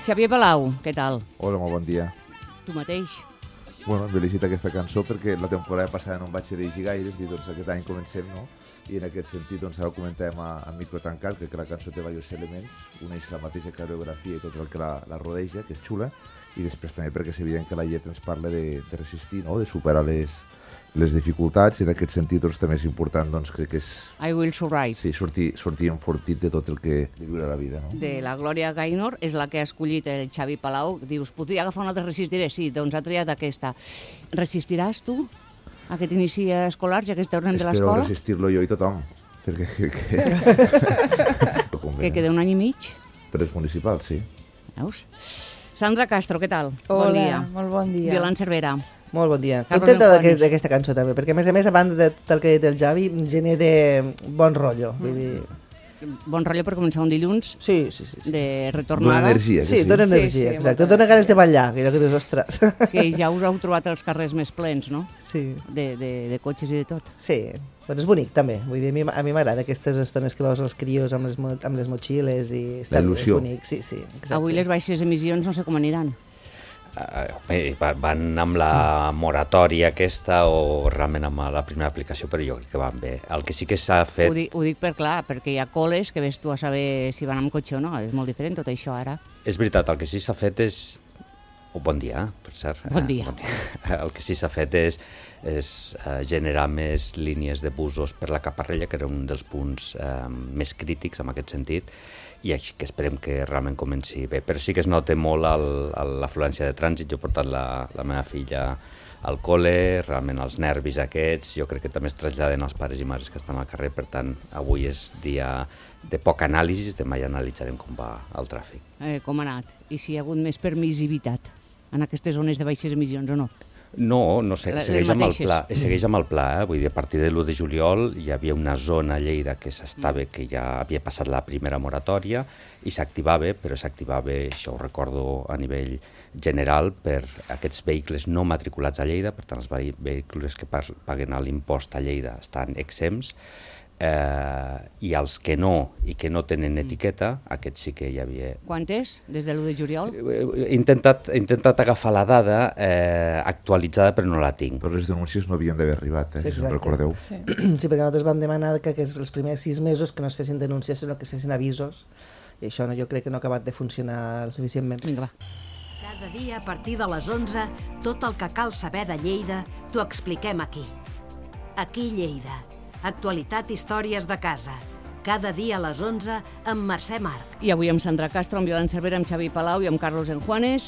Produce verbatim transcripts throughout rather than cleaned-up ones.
Xavier Palau, què tal? Hola, molt bon dia. Tu mateix. Bueno, hem elegit aquesta cançó perquè la temporada passada no em vaig dirigir gaire, i doncs aquest any comencem, no? I en aquest sentit, doncs ara ho comentàvem a, a micro tancat, que la cançó té diversos elements, uneix la mateixa coreografia i tot el que la, la rodeja, que és xula, i després també perquè és evident que la lletra ens parla de, de resistir, no? De superar les, les dificultats, i en aquest sentit doncs, també és important, doncs, crec que és... I will survive. Sí, sortir, sortir enfortit de tot el que li viure la vida, no? De la Glòria Gaynor, és la que ha escollit el Xavi Palau. Dius, podria agafar una altra Resistiré? Sí, doncs ha triat aquesta. Resistiràs tu a aquest inici escolar, ja que tornem de l'escola? Espero resistir-lo jo i tothom, perquè... Que, que... que queda un any i mig? Per els municipals, sí. Veus? Sandra Castro, què tal? Hola, bon dia. molt bon dia. Violant Cervera. Molt bon dia. Carlos Contenta Enjuanes. d'aquesta cançó també, perquè a més a més, a banda de tot el que ha dit el Javi, genera bon rotllo. Vull dir... Bon rotllo per començar un dilluns Sí, sí, sí. sí. de Dona retornada. energia, que Sí, sí. dona Sí, energia, sí, exacte. molta Dona ganes de ballar, que allò que dius, ostres. Que ja us heu trobat els carrers més plens, no? Sí, De, de, de cotxes i de tot. sí. Bueno, és bonic també. Vull dir, a mi, a mi m'agrada aquestes estones que veus els crios amb les, mo- amb les motxilles i està, La il·lusió. és bonic. Sí, sí, exacte. Avui les baixes emissions no sé com aniran. Uh, bé, va- van amb la moratòria aquesta o realment amb la primera aplicació, però jo crec que van bé. El que sí que s'ha fet... Ho dic, ho dic per clar, perquè hi ha col·les que ves tu a saber si van amb cotxe o no. És molt diferent tot això ara. És veritat, el que sí s'ha fet és... Oh, bon dia, per cert. Bon dia. Eh, bon dia. El que sí s'ha fet és, és uh, generar més línies de busos per la Caparrella, que era un dels punts uh, més crítics en aquest sentit, i així que esperem que realment comenci bé. Però sí que es nota molt el- el- l'afluència de trànsit. Jo he portat la, la meva filla al col·le, realment els nervis aquests, jo crec que també es traslladen als pares i mares que estan al carrer, per tant, avui és dia de poc anàlisi, demà ja analitzarem com va el tràfic. Eh, com ha anat? I si hi ha hagut més permissivitat en aquestes zones de baixes emissions o no? No, no sé, Les- segueix les amb el mateixes. pla, segueix amb el pla, eh? Vull dir, a partir de l'u de juliol hi havia una zona a Lleida que s'estava, que ja havia passat la primera moratòria i s'activava, però s'activava, això ho recordo a nivell general, per aquests vehicles no matriculats a Lleida, per tant els vehi- vehicles que par- paguen l'impost a Lleida estan exempts, eh, i els que no i que no tenen etiqueta, aquests sí que hi havia. Quantes? Des de l'u de juliol? He intentat, he intentat agafar la dada eh, actualitzada, però no la tinc. Però les denúncies no havien d'haver arribat, eh, Sí, si se'n exacte. recordeu. Sí. Sí, perquè nosaltres vam demanar que, que els primers sis mesos que no es fessin denúncies, sinó que es fessin avisos, i això no, jo crec que no ha acabat de funcionar suficientment. Vinga, va. Cada dia a partir de les onze, tot el que cal saber de Lleida t'ho expliquem aquí. Aquí Lleida. Actualitat i històries de casa. Cada dia a les onze amb Mercè Marc. I avui amb Sandra Castro, amb Violant Cervera, amb Xavi Palau i amb Carlos Enjuanes.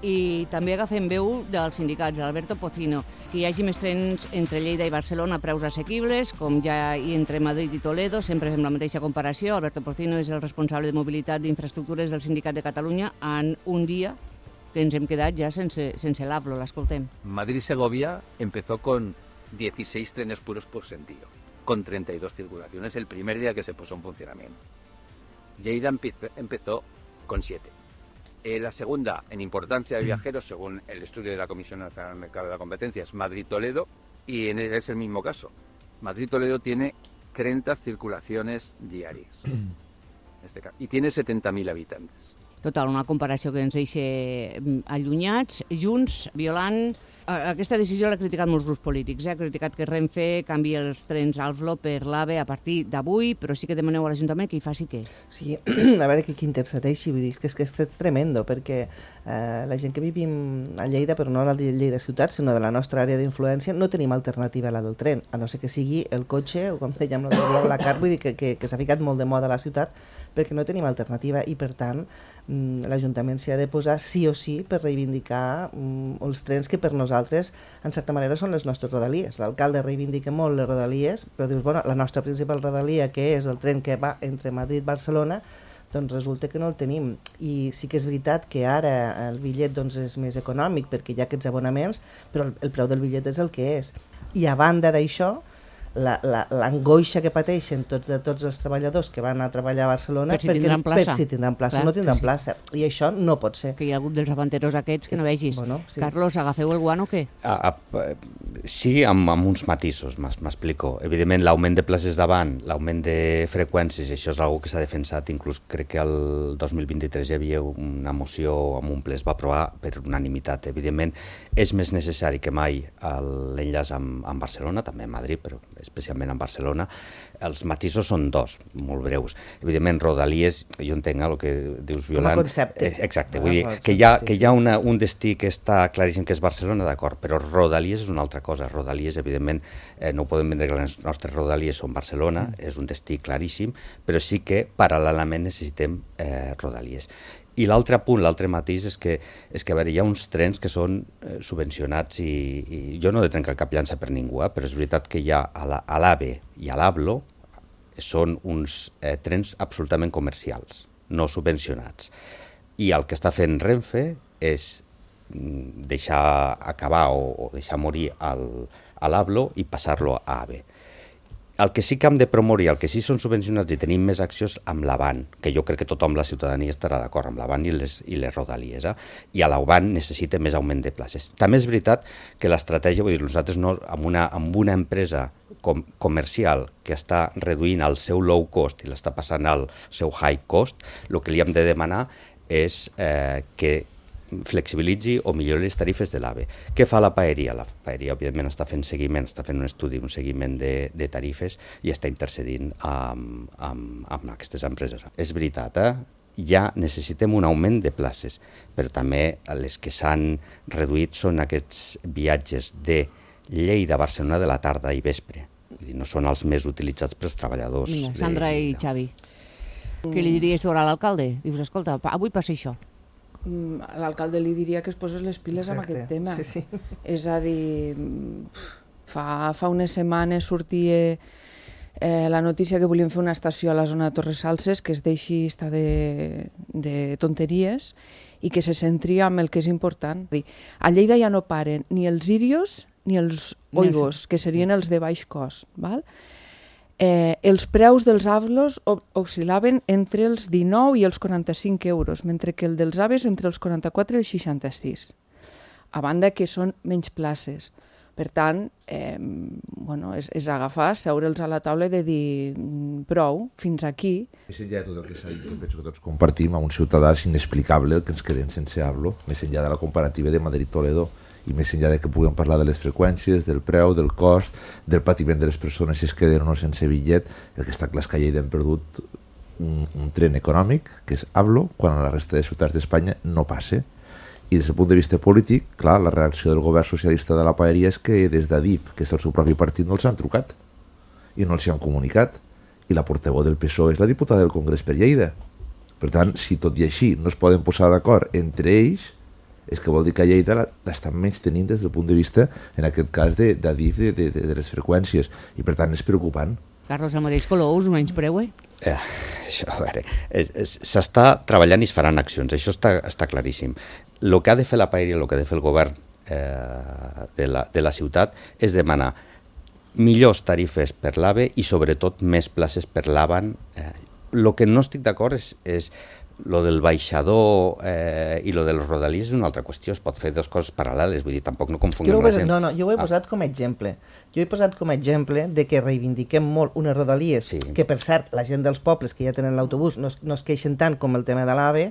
I també agafem veu dels sindicats, Alberto Pocino, que hi hagi més trens entre Lleida i Barcelona a preus assequibles, com ja hi entre Madrid i Toledo, sempre fem la mateixa comparació. Alberto Pocino és el responsable de mobilitat d'infraestructures del Sindicat de Catalunya en un dia que ens hem quedat ja sense, sense l'Ablo, l'escoltem. Madrid-Segovia empezó con dieciséis trenes puros por sentido, con treinta y dos circulaciones el primer día que se puso en funcionamiento. Lleida empezó, empezó con siete. Eh, la segunda en importancia de viajeros, según el estudio de la Comisión Nacional del Mercado de la Competencia, es Madrid-Toledo, y en el- es el mismo caso. Madrid-Toledo tiene treinta circulaciones diarias, en este ca- y tiene setenta mil habitantes. Total, una comparació que ens deixa mm, allunyats, junts, violant. A- Aquesta decisió l'ha criticat molts grups polítics. Eh? Ha criticat que Renfe canvi els trens Alflo per l'AVE a partir d'avui, però sí que demaneu a l'Ajuntament que hi faci què? Sí, a veure qui, qui intercedeixi, vull dir, és que és, que és tremendo, perquè eh, la gent que vivim a Lleida, però no a la de Lleida ciutat, sinó de la nostra àrea d'influència, no tenim alternativa a la del tren, a no ser que sigui el cotxe, o com dèiem, la del BlaBlaCar, vull dir que, que, que s'ha ficat molt de moda a la ciutat, perquè no tenim alternativa i, per tant, mm, l'Ajuntament s'hi ha de posar sí o sí per reivindicar mm, els trens que per nosaltres, en certa manera, són les nostres rodalies. L'alcalde reivindica molt les rodalies, però dius, bueno, la nostra principal rodalia, que és el tren que va entre Madrid i Barcelona, doncs resulta que no el tenim. I sí que és veritat que ara el bitllet doncs, és més econòmic perquè hi ha aquests abonaments, però el, el preu del bitllet és el que és. I a banda d'això, la- la- l'angoixa que pateixen tots, de tots els treballadors que van a treballar a Barcelona Per si tindran plaça. per si tindran plaça, Clar, no tindran sí. plaça. I això no pot ser. Que hi ha hagut dels avanteros aquests que no vegis. Bueno, sí. Carlos, agafeu el guant o què? A, a, Sí, amb, amb uns matisos, m'explico. Evidentment, l'augment de places davant, l'augment de freqüències, això és una que s'ha defensat, inclús crec que el dos mil vint-i-tres hi havia una moció amb un ple, es va aprovar per unanimitat. Evidentment, és més necessari que mai l'enllaç amb, amb Barcelona, també a Madrid, però especialment amb Barcelona. Els matisos són dos, molt breus. Evidentment, Rodalies, jo entenc el que dius, Violant. Com a concepte. Eh, exacte, vull dir que hi ha, que hi ha una, un destí que està claríssim que és Barcelona, d'acord, però Rodalies és una altra cosa. Rodalies, evidentment, eh, no podem vendre que les nostres Rodalies són Barcelona, mm. és un destí claríssim, però sí que paral·lelament necessitem eh, Rodalies. I l'altre punt, l'altre matís, és que, és que a veure, hi ha uns trens que són eh, subvencionats i, i jo no he de trencar cap llança per ningú, eh, però és veritat que hi ha a l'AVE i a l'ABLO són uns eh, trens absolutament comercials, no subvencionats. I el que està fent Renfe és deixar acabar o, o deixar morir el, a l'ABLO i passar-lo a AVE. El que sí que hem de promoure, el que sí són subvencionats i tenim més accions amb l'Avant, que jo crec que tothom, la ciutadania, estarà d'acord amb l'Avant i les, i les Rodalies, eh? I a l'Avant necessita més augment de places. També és veritat que l'estratègia, vull dir, nosaltres no, amb, una, amb una empresa com, comercial que està reduint el seu low cost i l'està passant al seu high cost, el que li hem de demanar és eh, que flexibilitzi o millori les tarifes de l'AVE. Què fa la paeria? La paeria, òbviament, està fent seguiment, està fent un estudi, un seguiment de, de tarifes i està intercedint amb, amb, amb aquestes empreses. És veritat, eh? Ja necessitem un augment de places, però també les que s'han reduït són aquests viatges de Lleida a Barcelona de la tarda i vespre. No són els més utilitzats pels treballadors. Mira, Sandra i Xavi, què li diries tu a l'alcalde? Dius, escolta, avui passa això. L'alcalde li diria que es posés les piles Exacte. Amb aquest tema. Sí, sí. És a dir, fa, fa unes setmanes sortia eh, la notícia que volien fer una estació a la zona de Torres Salses que es deixi estar de, de tonteries i que se centri en el que és important. A Lleida ja no paren ni els irios ni els oigos, que serien els de baix cost. Val? Eh, els preus dels avlos oscil·laven entre els dinou i els quaranta-cinc euros, mentre que el dels aves entre els quaranta-quatre i els seixanta-sis, a banda que són menys places. Per tant, eh, bueno, és, és agafar, seure'ls a la taula i de dir prou, fins aquí. Més enllà de tot el que s'ha dit, que penso que tots compartim, a un ciutadà és inexplicable el que ens quedem sense avlo, més enllà de la comparativa de Madrid-Toledo, i més enllà de que puguem parlar de les freqüències, del preu, del cost, del patiment de les persones si es queden o no sense bitllet, el que està clar és que a Lleida hem perdut un, un tren econòmic, que és Avlo, quan a la resta de ciutats d'Espanya no passa. I des del punt de vista polític, clar, la reacció del govern socialista de la paeria és que des d'Adif, que és el seu propi partit, no els han trucat i no els han comunicat. I la portaveu del P S O E és la diputada del Congrés per Lleida. Per tant, si tot i així no es poden posar d'acord entre ells, és que vol dir que a Lleida l'estan menys tenint des del punt de vista, en aquest cas, d'Adif, de, de, de, de les freqüències. I per tant és preocupant. Carlos, el mateix color, us menys preu, eh? Eh, això, a veure, s'està treballant i es faran accions, això està, està claríssim. El que ha de fer la paeria, el que ha de fer el govern eh, de, la, de la ciutat és demanar millors tarifes per l'AVE i sobretot més places per l'Avant. Eh, el que no estic d'acord és, és lo del baixador eh, i lo dels rodalies és una altra qüestió, es pot fer dues coses paral·leles, vull dir, tampoc no confonguem no la gent. No, no, jo ho he ah. posat com a exemple. Jo he posat com a exemple de que reivindiquem molt unes rodalies, sí. que per cert, la gent dels pobles que ja tenen l'autobús no, no es queixen tant com el tema de l'AVE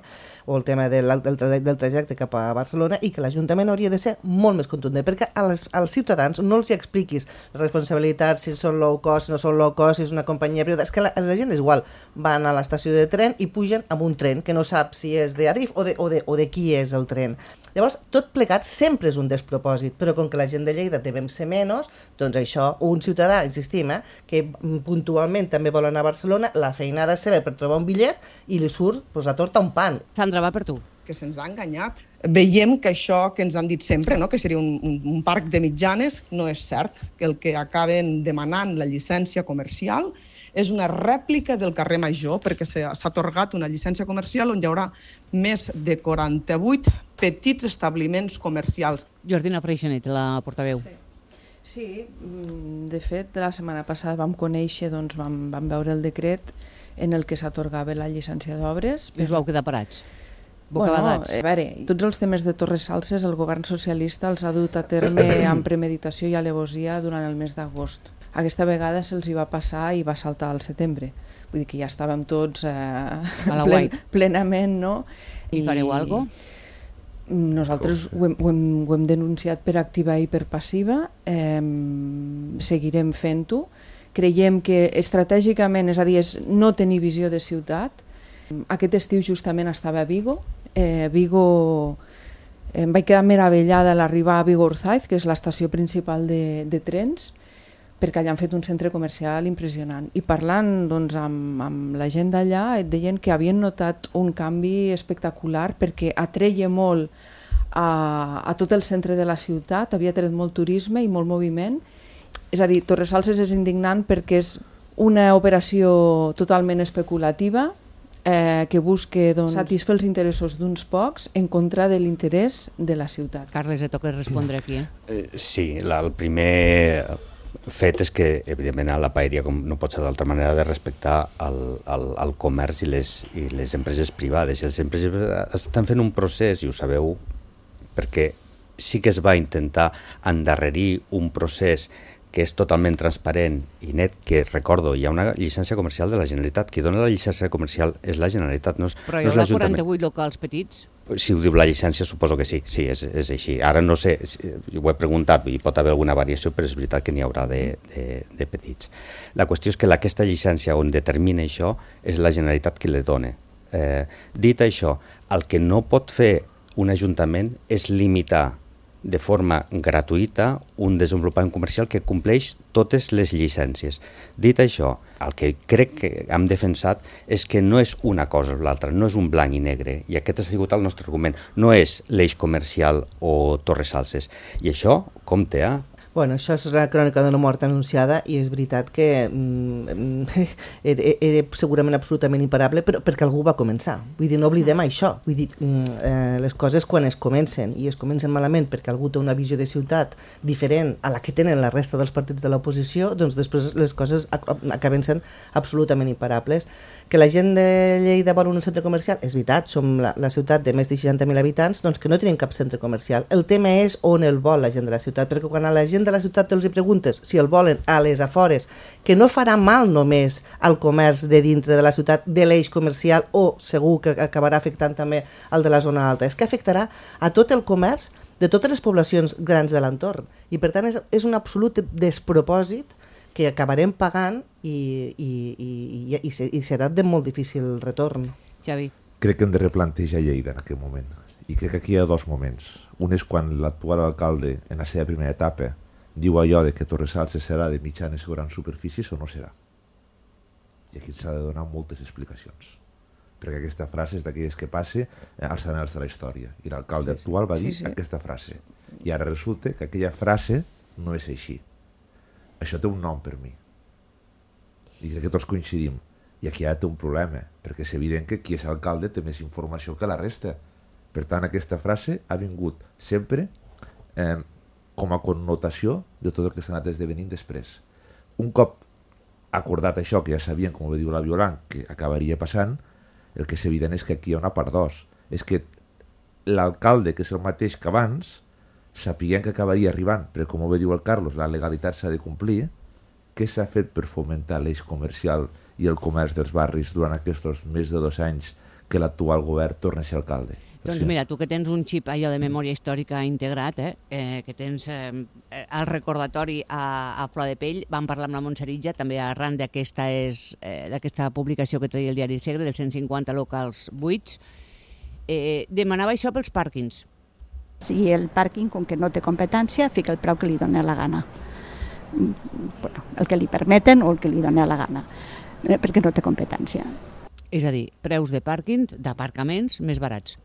o el tema del, del, del trajecte cap a Barcelona, i que l'Ajuntament hauria de ser molt més contundent, perquè als, als ciutadans no els hi expliquis responsabilitats, si són low cost, si no són low cost, si és una companyia privada, és que la, la gent és igual, van a l'estació de tren i pugen amb un tren que no sap si és d'Adif o, de, o, de, o de qui és el tren. Llavors, tot plegat sempre és un despropòsit, però com que la gent de Lleida devem ser menys, doncs això, un ciutadà, insistim, eh, que puntualment també vol anar a Barcelona, la feinada seva per trobar un bitllet i li surt pues, a torta un pan. Sandra, va per tu. Que se'ns ha enganyat. Veiem que això que ens han dit sempre, no? Que seria un, un, un parc de mitjanes, no és cert, que el que acaben demanant la llicència comercial és una rèplica del carrer Major, perquè s'ha atorgat una llicència comercial on hi haurà més de quaranta-vuit petits establiments comercials. Jordina Freixenet, la portaveu. Sí. Sí, de fet, la setmana passada vam conèixer, doncs vam, vam veure el decret en el que s'atorgava la llicència d'obres. I us vau quedar parats? bocabadats. Bueno, a veure, tots els temes de Torres Salses el govern socialista els ha dut a terme amb premeditació i alevosia durant el mes d'agost. Aquesta vegada se'ls hi va passar i va saltar al setembre. Vull dir que ja estàvem tots eh, plen, plenament, no? I fareu alguna cosa? Nosaltres ho hem, ho, hem, ho hem denunciat per activa i per passiva, eh, seguirem fent-ho. Creiem que estratègicament, és a dir, és no tenir visió de ciutat. Aquest estiu justament estava a Vigo. Eh, Vigo em vaig quedar meravellada a l'arribar a Vigo-Orzaiz, que és l'estació principal de, de trens, perquè allà han fet un centre comercial impressionant. I parlant doncs, amb, amb la gent d'allà, et deien que havien notat un canvi espectacular perquè atreia molt a, a tot el centre de la ciutat, havia tret molt turisme i molt moviment. És a dir, Torres Salses és indignant perquè és una operació totalment especulativa eh, que busca doncs, satisfer els interessos d'uns pocs en contra de l'interès de la ciutat. Carles, et toca respondre aquí. Eh? Eh, sí, la, el primer fet és que, evidentment, a la paeria, com no pot ser d'altra manera, de respectar el, el, el comerç i les, i les empreses privades. I les empreses estan fent un procés, i ho sabeu, perquè sí que es va intentar endarrerir un procés que és totalment transparent i net, que, recordo, hi ha una llicència comercial de la Generalitat. Qui dona la llicència comercial és la Generalitat, no és, Però no hi és haurà l'Ajuntament. quaranta-vuit locals petits? Si ho diu la llicència, suposo que sí, sí, és, és així. Ara no sé, ho he preguntat, i pot haver alguna variació, però és veritat que n'hi haurà de, de, de petits. La qüestió és que aquesta llicència on determina això és la Generalitat qui la dona. Eh, dit això, el que no pot fer un ajuntament és limitar de forma gratuïta un desenvolupament comercial que compleix totes les llicències. Dit això, el que crec que hem defensat és que no és una cosa o l'altra, no és un blanc i negre, i aquest ha sigut el nostre argument. No és l'eix comercial o Torres Salses. I això, compte, eh? Bueno, això és la crònica d'una mort anunciada i és veritat que mm, era, era segurament absolutament imparable, però perquè algú va començar. Vull dir, no oblidem això. Vull dir, mm, eh, les coses quan es comencen i es comencen malament perquè algú té una visió de ciutat diferent a la que tenen la resta dels partits de l'oposició, doncs després les coses acaben sent absolutament imparables. Que la gent de Lleida vol un centre comercial, és veritat, som la, la ciutat de més de seixanta mil habitants, doncs que no tenim cap centre comercial. El tema és on el vol la gent de la ciutat, perquè quan a la gent de la ciutat els hi preguntes si el volen a les afores, que no farà mal només al comerç de dintre de la ciutat, de l'eix comercial, o segur que acabarà afectant també el de la zona alta, és que afectarà a tot el comerç de totes les poblacions grans de l'entorn. I per tant és, és un absolut despropòsit que acabarem pagant i, i, i, i, i, i serà de molt difícil retorn. Xavi. Crec que hem de replantejar Lleida en aquest moment. I crec que aquí hi ha dos moments. Un és quan l'actual alcalde, en la seva primera etapa, diu allò de que Torres Salses serà de mitjanes o grans superfícies o no serà. I aquí s'ha de donar moltes explicacions. Perquè aquesta frase és d'aquelles que passe als anals de la història. I l'alcalde sí, actual va dir sí, sí. aquesta frase. I ara resulta que aquella frase no és així. Això té un nom per mi. I crec que tots coincidim. I aquí ja té un problema, perquè és evident que qui és alcalde té més informació que la resta. Per tant, aquesta frase ha vingut sempre eh, com a connotació de tot el que s'ha anat esdevenint després. Un cop acordat això, que ja sabien, com ho diu la Violant, que acabaria passant, el que és evident és que aquí hi ha una part dos. És que l'alcalde, que és el mateix que abans, sapiguem que acabaria arribant, però com ho diu el Carlos, la legalitat s'ha de complir, què s'ha fet per fomentar l'eix comercial i el comerç dels barris durant aquests més de dos anys que l'actual govern torna a ser alcalde? Doncs mira, tu que tens un xip allò de memòria històrica integrat, eh, eh, que tens eh, el recordatori a, a flor de pell, vam parlar amb la Montserritja, també arran d'aquesta eh, d'aquesta publicació que treia el diari El Segre, dels cent cinquanta locals buits, eh, demanava això pels pàrquings. Si el pàrquing, com que no té competència, fica el preu que li dona la gana. Bueno, el que li permeten o el que li dona la gana, perquè no té competència. És a dir, preus de pàrquings, d'aparcaments més barats.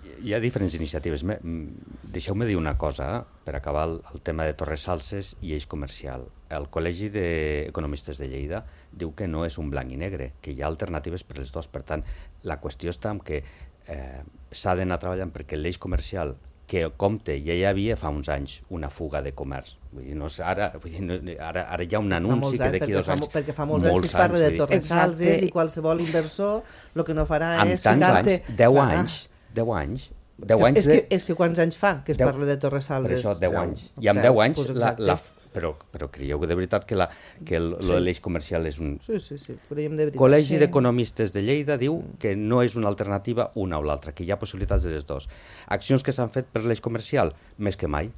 Hi ha diferents iniciatives. Deixeu-me dir una cosa, per acabar el, el tema de Torres Salses i eix comercial. El Col·legi d'Economistes de Lleida diu que no és un blanc i negre, que hi ha alternatives per les dues. Per tant, la qüestió està en que eh, s'ha d'anar treballant perquè l'eix comercial que compte ja hi havia fa uns anys una fuga de comerç. Vull dir, no, ara, vull dir, no, ara, ara hi ha un anunci que d'aquí dos anys... Perquè fa molts anys que es parla de Torres Salses i qualsevol inversor el que no farà és ficar-te... Amb tants anys, deu anys, deu anys... deu anys de... és, que, és que quants anys fa que es parla de Torres Salses? Per això, deu anys. I amb deu anys... La, la, però, però creieu que de veritat que, la, que el, sí. l'eix comercial és un... Sí, sí, sí, creiem de veritat. Col·legi sí. d'Economistes de Lleida diu que no és una alternativa una o l'altra, que hi ha possibilitats de les dues. Accions que s'han fet per l'eix comercial, més que mai.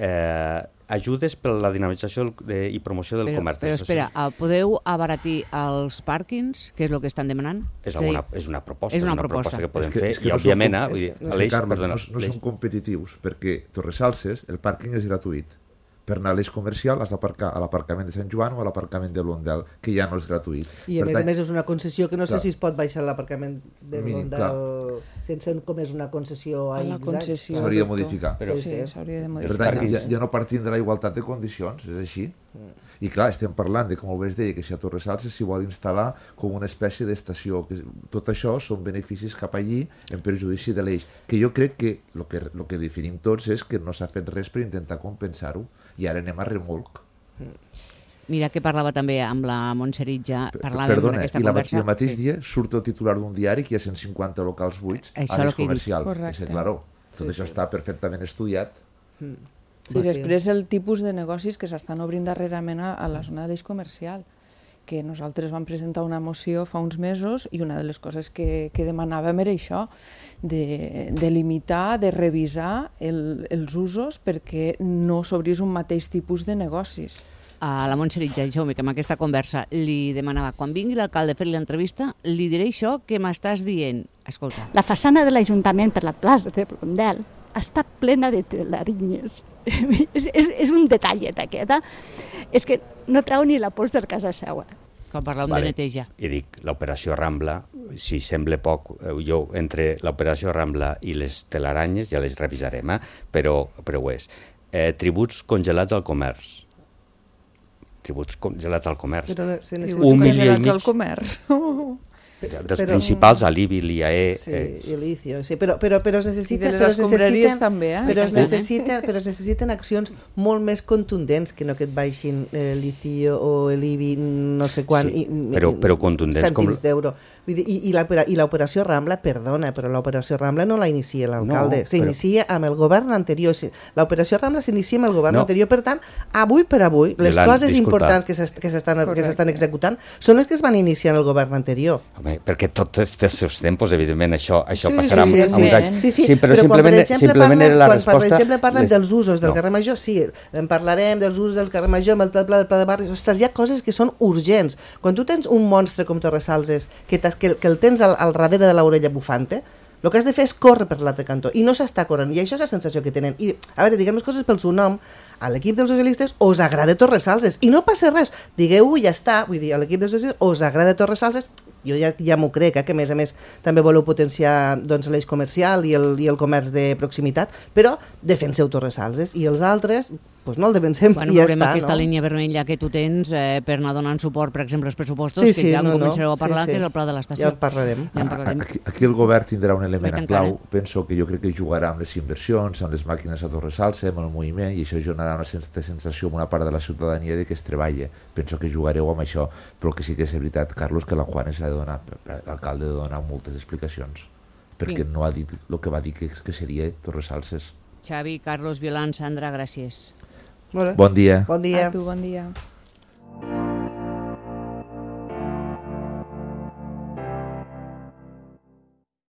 Eh, ajudes per la dinamització de, i promoció del però, comerç. Però espera, podeu abaratir els pàrquings, que és el que estan demanant? És una, és una proposta, és una, és una proposta. proposta que podem és que, fer, és que i no òbviament, som, eh, no, l'eix, Carles, perdona, no, no són competitius, perquè Torres Salses, el pàrquing és gratuït. Per anar a l'eix comercial has d'aparcar a l'aparcament de Sant Joan o a l'aparcament de Blondel, que ja no és gratuït. I a per més tant, a més és una concessió que no clar, sé si es pot baixar l'aparcament de mínim, Blondel sense com és una concessió a X. S'hauria de modificar. Però, sí, sí, sí. s'hauria de Per modificar. tant, ja, ja no partim de la igualtat de condicions, és així. Mm. I clar, estem parlant de, com el Ves deia, que si a Torres Salses s'hi vol instal·lar com una espècie d'estació. Que tot això són beneficis cap allí en perjudici de l'eix. Que jo crec que el que, lo que definim tots és que no s'ha fet res per intentar compensar-ho i ara anem a remolc. Mira que parlava també amb la Montserrat, ja parlàvem Perdona, d'aquesta i la, conversa. el mateix sí. dia surt el titular d'un diari que hi ha cent cinquanta locals buits això a l'eix comercial. Correcte. És claro, tot Sí, això sí. està perfectament estudiat. Mm. Sí, sí, després el tipus de negocis que s'estan obrint darrerament a, a la zona de l'eix comercial, que nosaltres vam presentar una moció fa uns mesos i una de les coses que, que demanàvem era això, de, de limitar, de revisar el, els usos perquè no s'obrís un mateix tipus de negocis. A la Montserrat, ja deixeu-me que amb aquesta conversa li demanava, quan vingui l'alcalde a fer-li l'entrevista, li diré això que m'estàs dient. Escolta. La façana de l'Ajuntament per la plaça de Blondel està plena de telarinyes. és, és, és un detallet aquest, eh? És que no trau ni la pols de casa seua. Quan parlàvem Vale. de neteja. I dic, l'operació Rambla, si sembla poc, eh, jo entre l'operació Rambla i les telaranyes ja les revisarem, eh? però, però ho és. Eh, tributs congelats al comerç. Tributs congelats al comerç. Però se necessita... Un milió i mig. Al comerç. Dels Però- principals, a l'I B I, l'I A E... Sí, eh, i l'Icio, sí, però, però, però es necessita, I de les però es escombraries necessiten, també, eh? però es També. necessita, però es necessiten accions molt més contundents que no que et baixin eh, l'Icio o l'I B I no sé quan Sí, i, però- però contundents com- cèntims d'euro. Vull dir, I, i l'opera- i l'operació Rambla, perdona, però l'operació Rambla no la inicia l'alcalde, No, s'inicia amb el govern anterior. Sí, l'operació Rambla s'inicia amb el govern No. anterior, per tant, avui per avui, les Yolanda, coses disculpa. importants que s'est- que s'estan que Correcte. s'estan executant són les que es van iniciar en el govern anterior. Home, perquè tots els seus tempos, evidentment, això, això Sí, passarà sí, amb, sí, amb sí. uns anys. Sí, sí, sí, però, però quan, simplement, per exemple, simplement parlem, era la quan, resposta... per exemple, parlem les- dels usos del no. carrer Major, sí, en parlarem dels usos del carrer Major, amb el pla, del pla de barris, ostres, hi ha coses que són urgents. Quan tu tens un monstre com Torres Salses, que, t'has- que, que el tens al, al darrere de l'orella bufante, el que has de fer és córrer per l'altre cantó, i no s'està corrent, i això és la sensació que tenen. I, a veure, diguem les coses pel seu nom, a l'equip dels socialistes us agrada Torres Salses, i no passa res, digueu-ho i ja està, vull dir, a l'equip dels socialistes us agrada Torres Salses, jo ja, ja m'ho crec, eh, que a més a més també voleu potenciar doncs, l'eix comercial i el, i el comerç de proximitat, però defenseu Torres Salses, i els altres pues no el defensem Bueno, i ja veurem està, aquesta no? línia vermella que tu tens eh, per anar donant suport, per exemple, als pressupostos, Sí, que sí, ja en no, no. començareu a parlar, Sí, sí. que és el pla de l'estació. Ja en parlarem. Ja en parlarem. Aquí, aquí el govern tindrà un element Oi, en clau. tant, Penso que jo crec que jugarà amb les inversions, amb les màquines a Torres Salses, amb el moviment, i això generarà una certa sensació amb una part de la ciutadania de que es treballa. Penso que jugareu amb això, però que sí que és veritat, Carlos, que la Juanes ha de donar, l'alcalde ha de donar moltes explicacions, perquè Sí. no ha dit el que va dir que, que seria Torres Salses. Xavi, Carlos, Violant, Sandra, gràcies. Molt bé. Bon dia. Bon dia. A tu, bon dia.